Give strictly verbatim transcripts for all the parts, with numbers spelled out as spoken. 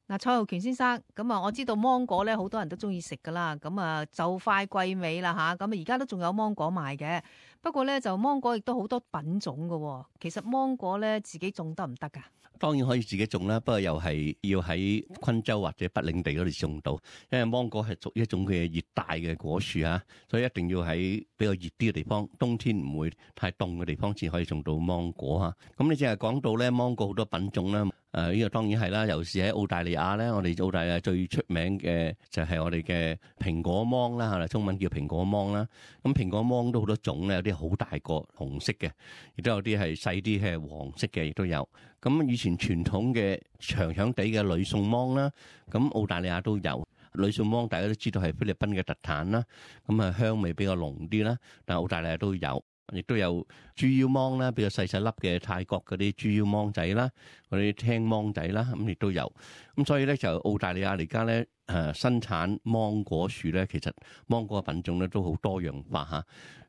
嗱，蔡浩權先生，咁啊，我知道芒果咧，好多人都中意食噶啦，咁啊就快季尾啦吓，咁啊而家都仲有芒果賣嘅，不過咧就芒果亦都好多品種噶，其實芒果咧自己種得唔得噶？當然可以自己種啦，不過又係要喺昆州或者北領地嗰度種到，因為芒果係屬於一種嘅熱帶嘅果樹啊，所以一定要喺比較熱啲嘅地方，冬天唔會太凍嘅地方先可以種到芒果啊。咁你淨係講到咧芒果好多品種啦。誒呢個當然係啦，尤其是喺澳大利亞咧，我哋澳大利亞最出名嘅就係我哋嘅蘋果芒啦，係啦，中文叫蘋果芒啦。咁蘋果芒都好多種咧，有啲好大個紅色嘅，亦都有啲係細啲係黃色嘅，亦都有。咁以前傳統嘅長長地嘅呂宋芒啦，咁澳大利亞都有。呂宋芒大家都知道係菲律賓嘅特產啦，咁啊香味比較濃啲啦，但係澳大利亞都有。亦都有豬腰芒啦，比較細細粒嘅泰國嗰啲豬腰芒仔啦，嗰啲青芒仔啦，咁亦都有。咁所以咧就澳大利亞而家咧誒生產芒果樹咧，其實芒果嘅品種咧都好多樣化嚇。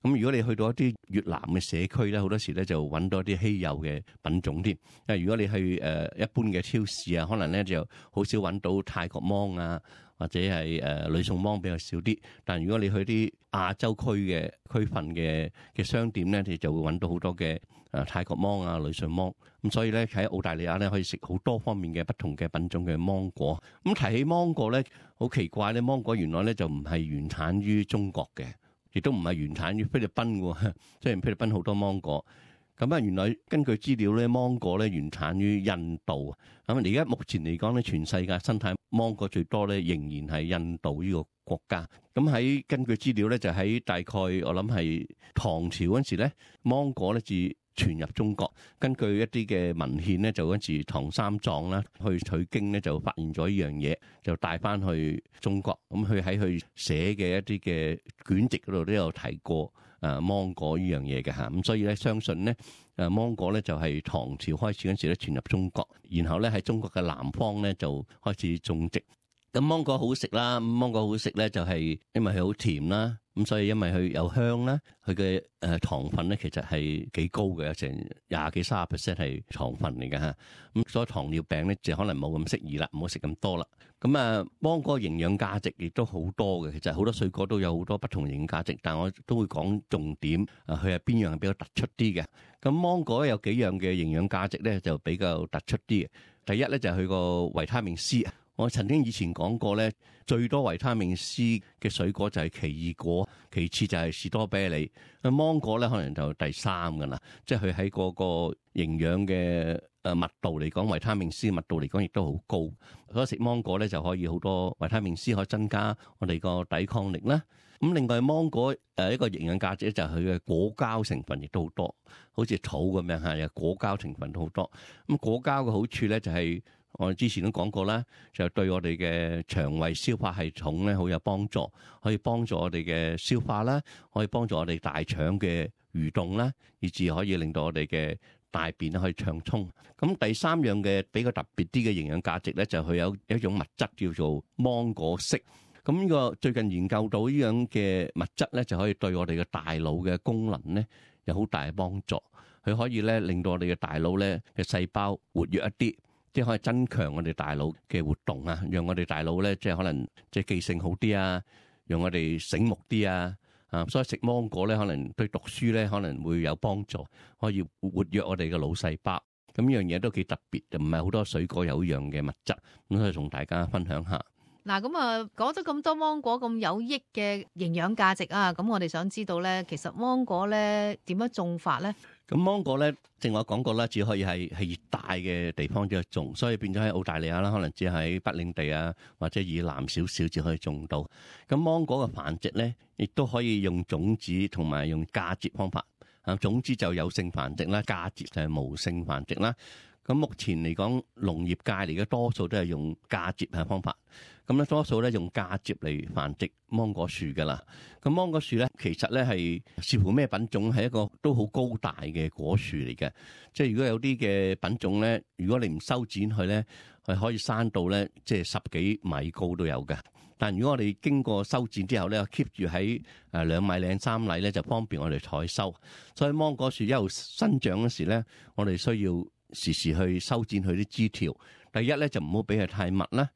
咁如果你去到一啲越南嘅社區咧，好多時咧就揾到一啲稀有嘅品種添。因為如果你去誒一般嘅超市啊，可能咧就好少揾到泰國芒啊，或者係誒呂宋芒比較少啲。但如果你去啲亞洲區嘅區份嘅嘅商店咧，你就會揾到好多嘅誒泰國芒啊、呂宋芒。咁所以咧喺澳大利亞咧可以食好多方面嘅不同嘅品種嘅芒果。咁提起芒果咧，好奇怪咧，芒果原來咧就唔係原產於中國嘅，亦都唔係原產於菲律賓喎。雖然菲律賓好多芒果，咁啊原來根據資料咧，芒果咧原產於印度。咁而家目前嚟講咧，全世界生產芒果最多咧，仍然係印度呢個國家。咁喺根據資料咧，就喺大概我諗係唐朝嗰陣時咧，芒果咧至傳入中國。根據一啲嘅文獻咧，就嗰陣時唐三藏啦去取經咧，就發現咗呢樣嘢，就帶翻去中國。咁佢喺佢寫嘅一啲嘅卷籍嗰度都有提過誒芒果呢樣嘢嘅嚇。咁所以咧，相信咧誒芒果咧就係唐朝開始嗰陣時咧傳入中國，然後咧喺中國嘅南方咧就開始種植。咁芒果好食啦，咁芒果好食咧就係因為佢好甜啦，咁所以因為佢有香啦，佢嘅誒糖分咧其實係幾高嘅，有成廿幾三十 percent 係糖分嚟嘅嚇，咁所以糖尿病咧就可能冇咁適宜啦，唔好食咁多啦。咁啊，芒果營養價值亦都好多嘅，其實好多水果都有好多不同營養價值，但我都會講重點，啊佢係邊樣係比較突出啲嘅。咁芒果有幾樣嘅營養價值咧就比較突出啲嘅，第一咧就係佢個維他命 C。我曾經以前講過咧，最多維他命 C 嘅水果就係奇異果，其次就係士多啤梨。咁芒果咧可能就第三噶啦，即係佢喺嗰個營養嘅誒密度嚟講，維他命 C 密度嚟講亦都好高。所以食芒果咧就可以好多維他命 C 可以增加我哋個抵抗力啦。咁另外芒果誒一個營養價值就係佢嘅果膠成分亦都好多，好似草咁樣嚇，有果膠成分都好多。咁果膠嘅好處咧就係、是。我哋之前都講過啦，就對我哋嘅腸胃消化系統咧好有幫助，可以幫助我哋嘅消化啦，可以幫助我哋大腸嘅蠕動啦，以至可以令到我哋嘅大便可以暢通。咁第三樣嘅比較特別啲嘅營養價值咧，就係佢有一種物質叫做芒果色。咁呢個最近研究到呢樣嘅物質咧，就可以對我哋嘅大腦嘅功能咧有好大嘅幫助。佢可以咧令到我哋嘅大腦咧嘅細胞活躍一啲。即係可以增強我哋大腦嘅活動啊，讓我哋大腦咧即係可能即係記性好啲啊，讓我哋醒目啲啊，啊，所以食芒果咧可能對讀書咧可能會有幫助，可以活躍我哋嘅腦細胞。咁呢樣嘢都幾特別，就唔係好多水果有一樣嘅物質，咁所以同大家分享下。嗱，咁啊講咗咁多芒果咁有益嘅營養價值啊，咁我哋想知道咧，其實芒果咧點樣種法咧？咁芒果咧，正我講過啦，只可以係係熱帶嘅地方之種，所以變咗喺澳大利亞啦，可能只喺北領地啊，或者以南少少至可以種到。咁芒果嘅繁殖咧，亦都可以用種子同埋用嫁接方法。啊，種子就有性繁殖啦，嫁接就係無性繁殖啦。咁目前嚟講，農業界嚟嘅多數都係用嫁接嘅方法。咁咧多數咧用嫁接嚟繁殖芒果樹㗎啦。咁芒果樹咧其實咧係視乎咩品種，係一個都好高大嘅果樹嚟嘅。即係如果有啲嘅品種咧，如果你唔修剪佢咧，係可以生到咧即係十幾米高都有嘅。但如果我哋經過修剪之後咧，keep 住喺誒兩米零三米咧，就方便我哋採收。所以芒果樹一路生長嗰時咧，我哋需要時時去修剪佢啲枝條，第一咧就唔好俾佢太密啦，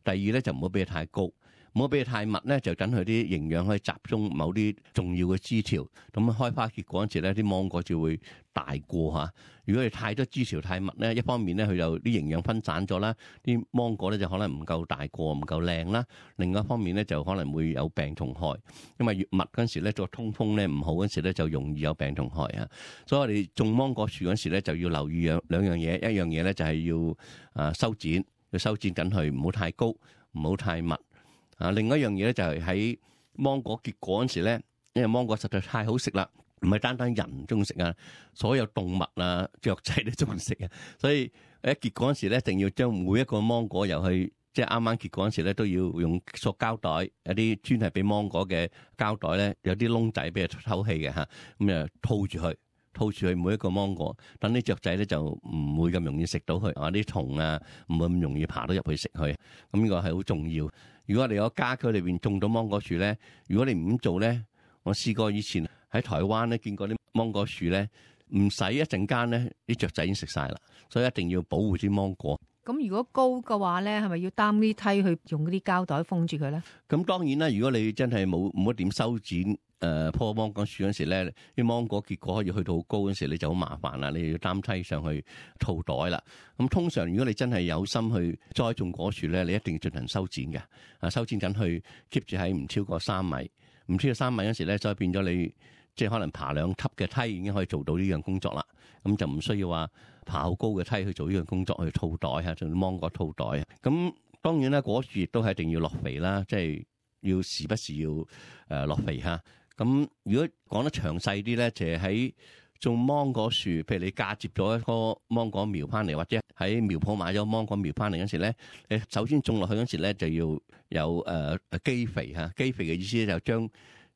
第二咧就唔好俾佢太高。唔好俾佢太密咧，就等佢啲營養可以集中某啲重要嘅枝條。咁開花結果嗰陣時咧，啲芒果就會大過嚇。如果你太多枝條太密咧，一方面咧佢就啲營養分散咗啦，啲芒果咧就可能唔夠大過，唔夠靚啦。另外一方面咧就可能會有病蟲害，因為越密嗰陣時咧做通風咧唔好嗰陣時咧就容易有病蟲害啊。所以我哋種芒果樹嗰陣時咧就要留意兩兩樣嘢，一樣嘢咧就係要啊修剪，要修剪緊佢，唔好太高，唔好太密。啊，另外一樣嘢咧就係喺芒果結果嗰時咧，因為芒果實在太好食啦，唔係單單人中意食啊，所有動物啊、雀仔都中意食啊，所以喺結果嗰時咧，一定要將每一個芒果由去即係啱啱結果嗰時咧，都要用塑膠袋，有啲專係俾芒果嘅膠袋咧，有啲窿仔俾佢透氣嘅嚇，咁啊套住佢。套住佢每一個芒果，等啲雀仔咧就唔會咁容易食到佢，啊啲蟲啊唔會咁容易爬到入去食佢，咁呢個係好重要。如果我哋有家居裏邊種到芒果樹咧，如果你唔咁做咧，我試過以前喺台灣咧見過啲芒果樹咧，唔使一陣間咧啲雀仔已經食晒啦，所以一定要保護啲芒果。咁如果高嘅話咧，係咪要擔啲梯去用嗰啲膠袋封住佢咧？咁當然啦，如果你真係冇冇一點修剪。誒棵芒果樹嗰時咧，啲芒果結果可以去到好高嗰時，你就好麻煩啦，你要擔梯上去套袋啦。咁通常如果你真係有心去栽種果樹咧，你一定要進行修剪嘅。啊，修剪緊去 keep 住喺唔超過三米，唔超過三米嗰時咧，再變咗你即係可能爬兩級嘅梯已經可以做到呢樣工作啦。咁就唔需要話爬好高嘅梯去做呢樣工作去套袋嚇，做芒果套袋啊。咁當然啦，果樹亦都係一定要落肥啦，即係要時不時要誒落肥嚇。咁如果講得詳細啲咧，就係喺種芒果樹，譬如你嫁接咗一棵芒果苗翻嚟，或者喺苗圃買咗芒果苗翻嚟嗰時咧，你首先種落去嗰時咧就要有誒誒基肥嚇，基肥嘅意思咧就將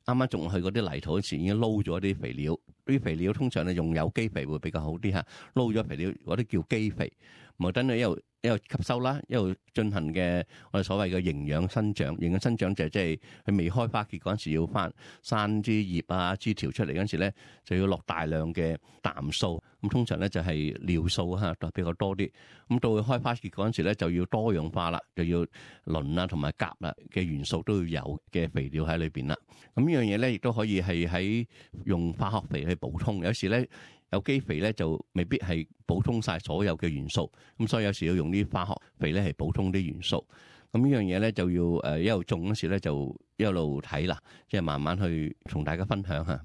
啱啱種落去嗰啲泥土嗰時已經撈咗啲肥料，啲肥料通常咧用有機肥會比較好啲嚇，撈咗肥料嗰啲叫基肥，咪等佢一路一路吸收啦，一路進行嘅我哋所謂嘅營養生長。營養生長就係即係佢未開花結嗰陣時要翻生啲葉啊枝條出嚟嗰陣時咧，就要落大量嘅氮素。咁通常咧就係尿素嚇比較多啲。咁到佢開花結嗰陣時咧就要多樣化啦，就要磷啊同埋鉀啊嘅元素都要有嘅肥料喺裏邊啦。咁呢樣嘢咧亦都可以係喺用化學肥去補充。有時咧有機肥咧就未必係補充晒所有嘅元素，咁所以有時要用啲化學肥咧係補充啲元素。咁呢樣嘢咧就要誒一路種嗰時咧就一路睇啦，即係慢慢去同大家分享下。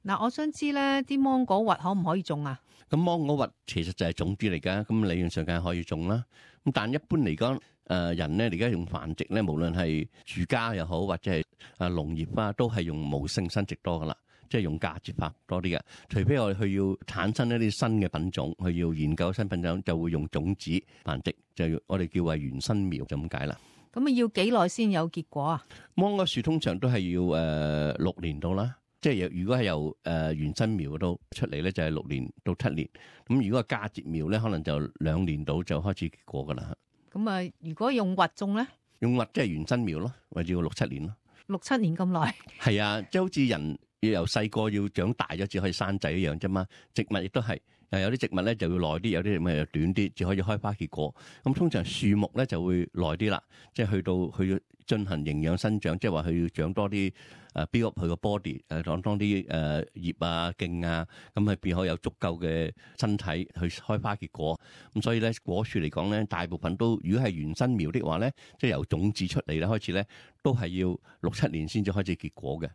嗱，我想知咧啲芒果核可唔可以種啊？咁芒果核其實就係種子嚟㗎，咁理論上梗係可以種啦。咁但一般嚟講，誒人咧而家用繁殖咧，無論係住家又好或者係啊農業啊，都係用無性生殖多㗎啦。即係用嫁接法多啲嘅，除非我哋去要產生一啲新嘅品種，去要研究新品種，就會用種子繁殖，就我哋叫為原生苗就咁解啦。咁啊要幾耐先有結果啊？芒果樹通常都係要誒、呃、六年到啦，即係如果係由誒、呃、原生苗度出嚟咧，就係、是、六年到七年。咁如果係嫁接苗咧，可能就兩年到就開始結果噶啦。咁啊，如果用核種咧？用核即係原生苗咯，或者要六七年咯。六七年咁耐？係啊，即係好似人。要由細個要長大咗，至可以生仔一樣啫嘛。植物亦都係，誒有啲植物咧就要耐啲，有啲植物又短啲，至可以開花結果。咁通常樹木咧就會耐啲啦，即係去到佢要進行營養生長，即係話佢要長多啲誒 build up 佢個 body，誒長多啲誒葉啊莖啊，咁係變可有足夠嘅身體去開花結果。咁所以咧果樹嚟講咧，大部分都如果係原生苗的話咧，即係由種子出嚟咧開始咧，都係要六七年先至開始結果嘅。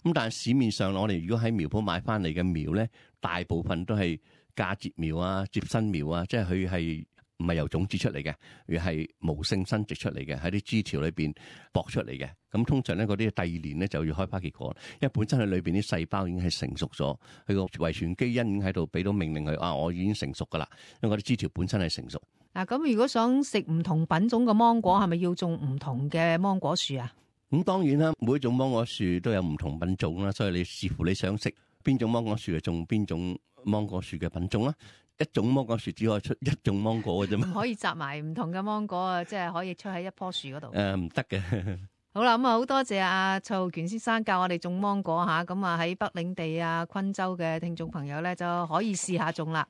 咁但係市面上我哋如果喺苗圃買翻嚟嘅苗咧，大部分都係嫁接苗啊、接生苗啊，即係佢係唔係由種子出嚟嘅，而係無性生殖出嚟嘅，喺啲枝條裏邊駁出嚟嘅。咁通常咧嗰啲第二年咧就要開花結果，因為本身佢裏邊啲細胞已經係成熟咗，佢個遺傳基因已經喺度俾到命令佢啊，我已經成熟噶啦，因為嗰啲枝條本身係成熟。嗱，咁如果想食唔同品種嘅芒果，係咪要種唔同嘅芒果樹啊？咁當然啦，每一種芒果樹都有唔同品種啦，所以你視乎你想食邊種芒果樹，就種邊種芒果樹嘅品種啦。一種芒果樹只可以出一種芒果嘅啫嘛，唔可以摘埋唔同嘅芒果啊，即係可以出喺一棵樹嗰度。誒，唔得嘅。好啦，咁啊好多謝阿蔡浩權先生教我哋種芒果吓，咁啊喺北領地啊、昆州嘅聽眾朋友咧就可以試下種啦。